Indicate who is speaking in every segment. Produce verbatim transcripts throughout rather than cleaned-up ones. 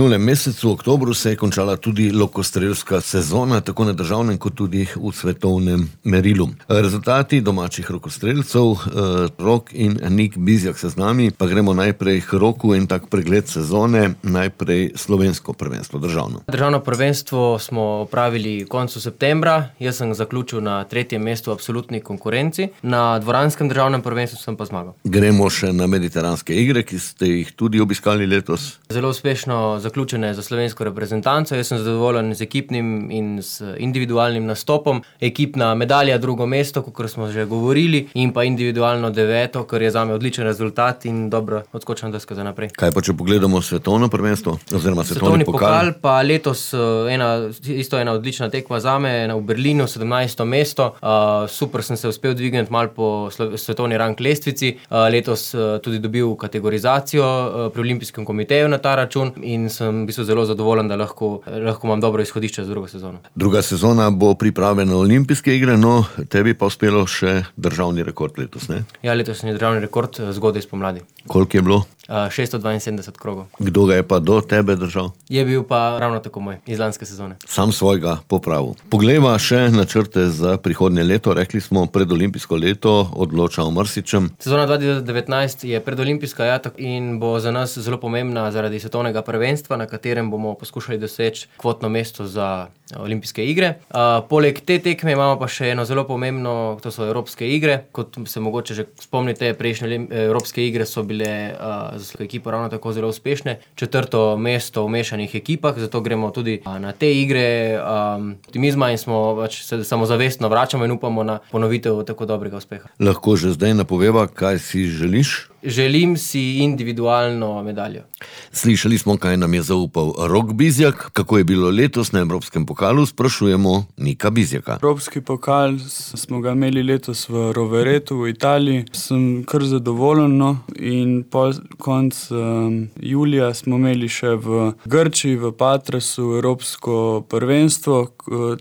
Speaker 1: minulem mesecu, v oktobru, se je končala tudi lokostrelska sezona, tako na državnem kot tudi v svetovnem merilu. Rezultati domačih rokostrelcev, Rok in Nik Bizjak se z nami, pa gremo najprej k Roku in tak pregled sezone, najprej slovensko prvenstvo državno.
Speaker 2: Državno prvenstvo smo opravili koncu septembra, jaz sem zaključil na tretjem mestu v absolutni konkurenci, na dvoranskem državnem prvenstvu sem pa zmagal.
Speaker 1: Gremo še na mediteranske igre, ki ste jih tudi obiskali letos.
Speaker 2: Zelo uspešno zaključene za slovensko reprezentanco, jaz sem zadovoljen z ekipnim in z individualnim nastopom. Ekipna medalja drugo mesto, kakor smo že govorili, in pa individualno deveto, kar je zame odličen rezultat in dobra odskočna deska za naprej.
Speaker 1: Kaj pa če pogledamo svetovno prvenstvo oziroma svetovni,
Speaker 2: svetovni
Speaker 1: pokal?
Speaker 2: pokal? Pa letos ena, isto ena odlična tekma zame, v Berlinu, sedemnajsto mesto. Uh, super sem se uspel dvigniti malo po svetovni rang lestvici. Uh, letos uh, tudi dobil kategorizacijo uh, pri Olimpijskem komiteju na ta račun in sem v bistvu zelo zadovoljen, da lahko, lahko imam dobro izhodišče za drugo sezono.
Speaker 1: Druga sezona bo priprave na olimpijske igre, no tebi pa uspelo še državni rekord letos, ne?
Speaker 2: Ja, letos je državni rekord zgodaj spomladi.
Speaker 1: Koliko je bilo?
Speaker 2: Uh, šeststo dvainsedemdeset krogov.
Speaker 1: Kdo ga je pa do tebe držal?
Speaker 2: Je bil pa ravno tako moj, iz lanske sezone.
Speaker 1: Sam svojega popravil. Poglejva še načrte za prihodnje leto. Rekli smo, predolimpijsko leto odloča o marsičem.
Speaker 2: Sezona dva tisoč devetnajst je predolimpijska, ja, in bo za nas zelo pomembna zaradi svetovnega prvenstva, na katerem bomo poskušali doseči kvotno mesto za olimpijske igre. Uh, poleg te tekme imamo pa še eno zelo pomembno, to so evropske igre. Kot se mogoče že spomnite, prejšnje evropske igre so bile uh, za svojo ekipo ravno tako zelo uspešne. Četrto mesto v mešanih ekipah, zato gremo tudi uh, na te igre um, optimizma in smo pač se samozavestno vračamo in upamo na ponovitev tako dobrega uspeha.
Speaker 1: Lahko že zdaj napoveva, kaj si želiš?
Speaker 2: Želim si individualno medaljo.
Speaker 1: Slišali smo, kaj nam je zaupal Rok Bizjak. Kako je bilo letos na Evropskem pokalu, sprašujemo Nika Bizjaka.
Speaker 3: Evropski pokal smo ga imeli letos v Roveretu v Italiji. Sem kar zadovoljen, no, in po konc um, julija smo imeli še v Grčiji, v Patrasu, Evropsko prvenstvo.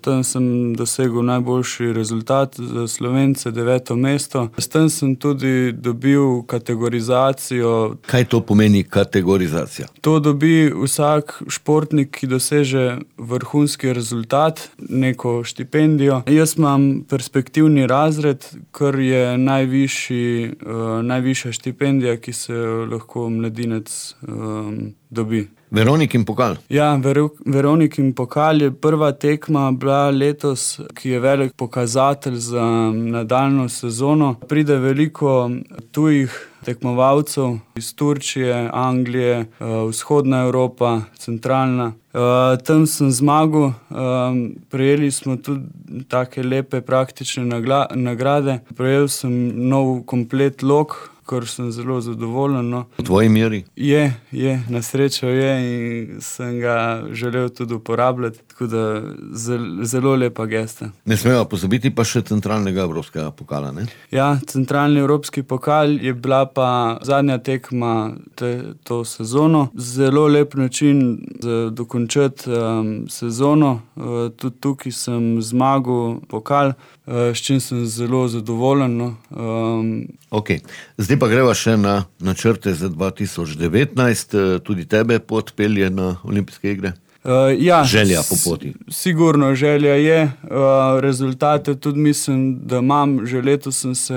Speaker 3: Tam sem dosegel najboljši rezultat za Slovence, deveto mesto. S tem sem tudi dobil kategorizacijo.
Speaker 1: Kaj to pomeni kategorizacija?
Speaker 3: To dobi vsak športnik, ki doseže vrhunski rezultat, neko štipendijo. Jaz imam perspektivni razred, kar je najvišji, uh, najvišja štipendija, ki se lahko mladinec um, dobi.
Speaker 1: Veronikin pokal.
Speaker 3: Ja, Ver- Veronikin pokal je prva tekma bila letos, ki je velik pokazatelj za nadaljnjo sezono. Pride veliko tujih tekmovalcev iz Turčije, Anglije, vzhodna Evropa, centralna. Uh, tam sem zmagal, um, prejeli smo tudi take lepe praktične nagla- nagrade. Prejel sem nov komplet lok, kar sem zelo zadovoljen. No.
Speaker 1: V tvoji meri?
Speaker 3: Je, je, na srečo je in sem ga želel tudi uporabljati, tako da zelo, zelo lepa gesta.
Speaker 1: Ne smeva pozabiti pa še centralnega evropskega pokala, ne?
Speaker 3: Ja, centralni evropski pokal je bila pa zadnja tekma te, to sezono. Zelo lep način za dokončati um, sezono. Uh, tudi tukaj sem zmagal pokal, uh, s čim sem zelo zadovoljen. No. Um,
Speaker 1: ok, zdaj pa greva še na načrte za dva tisoč devetnajst. Tudi tebe pot pelje na olimpijske igre?
Speaker 3: Uh, ja,
Speaker 1: želja po poti.
Speaker 3: Sigurno želja je. Uh, rezultate tudi mislim, da imam. Že letos sem se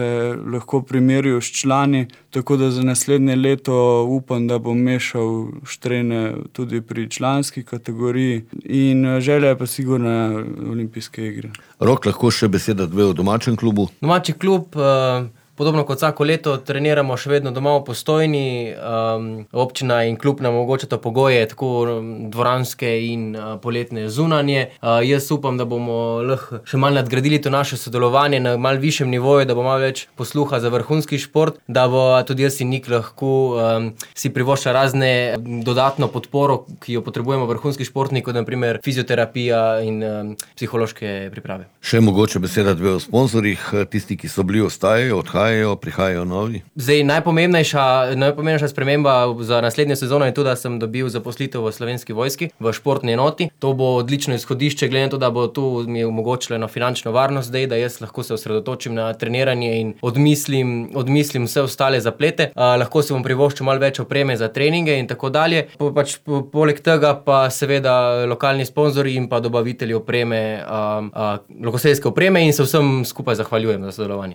Speaker 3: lahko primerjal s člani, tako da za naslednje leto upam, da bom mešal štrene tudi pri članski kategoriji. In želja je pa sigurno olimpijske igre.
Speaker 1: Rok, lahko še beseda dve o domačem klubu?
Speaker 2: Domači klub... Uh... Podobno kot vsako leto treniramo še vedno doma v Postojni. Um, občina in klub nam omogočata pogoje, tako dvoranske in uh, poletne zunanje. Uh, jaz upam, da bomo lahko še malo nadgradili to naše sodelovanje na malo višjem nivoju, da bo malo več posluha za vrhunski šport, da bo tudi jaz in Nik lahko um, si privošča razne dodatno podporo, ki jo potrebujemo vrhunski športnik, kot na primer fizioterapija in um, psihološke priprave.
Speaker 1: Še mogoče beseda dve o sponzorjih. Tisti, ki so bili, ostajajo, odhajajo. odhajajo, prihajajo novi?
Speaker 2: Zdaj, najpomembnejša, najpomembnejša sprememba za naslednjo sezono je to, da sem dobil zaposlitev v Slovenski vojski, v športni enoti. To bo odlično izhodišče, glede na to, da bo tu mi omogočilo eno finančno varnost zdaj, da jaz lahko se osredotočim na treniranje in odmislim, odmislim vse ostale zaplete. Uh, lahko si bom privoščil malo več opreme za treninge in tako dalje. Po, pač, po, poleg tega pa seveda lokalni sponzorji in pa dobavitelji opreme, uh, uh, lokostrelske opreme in se vsem skupaj zahvaljujem za sodelovanje.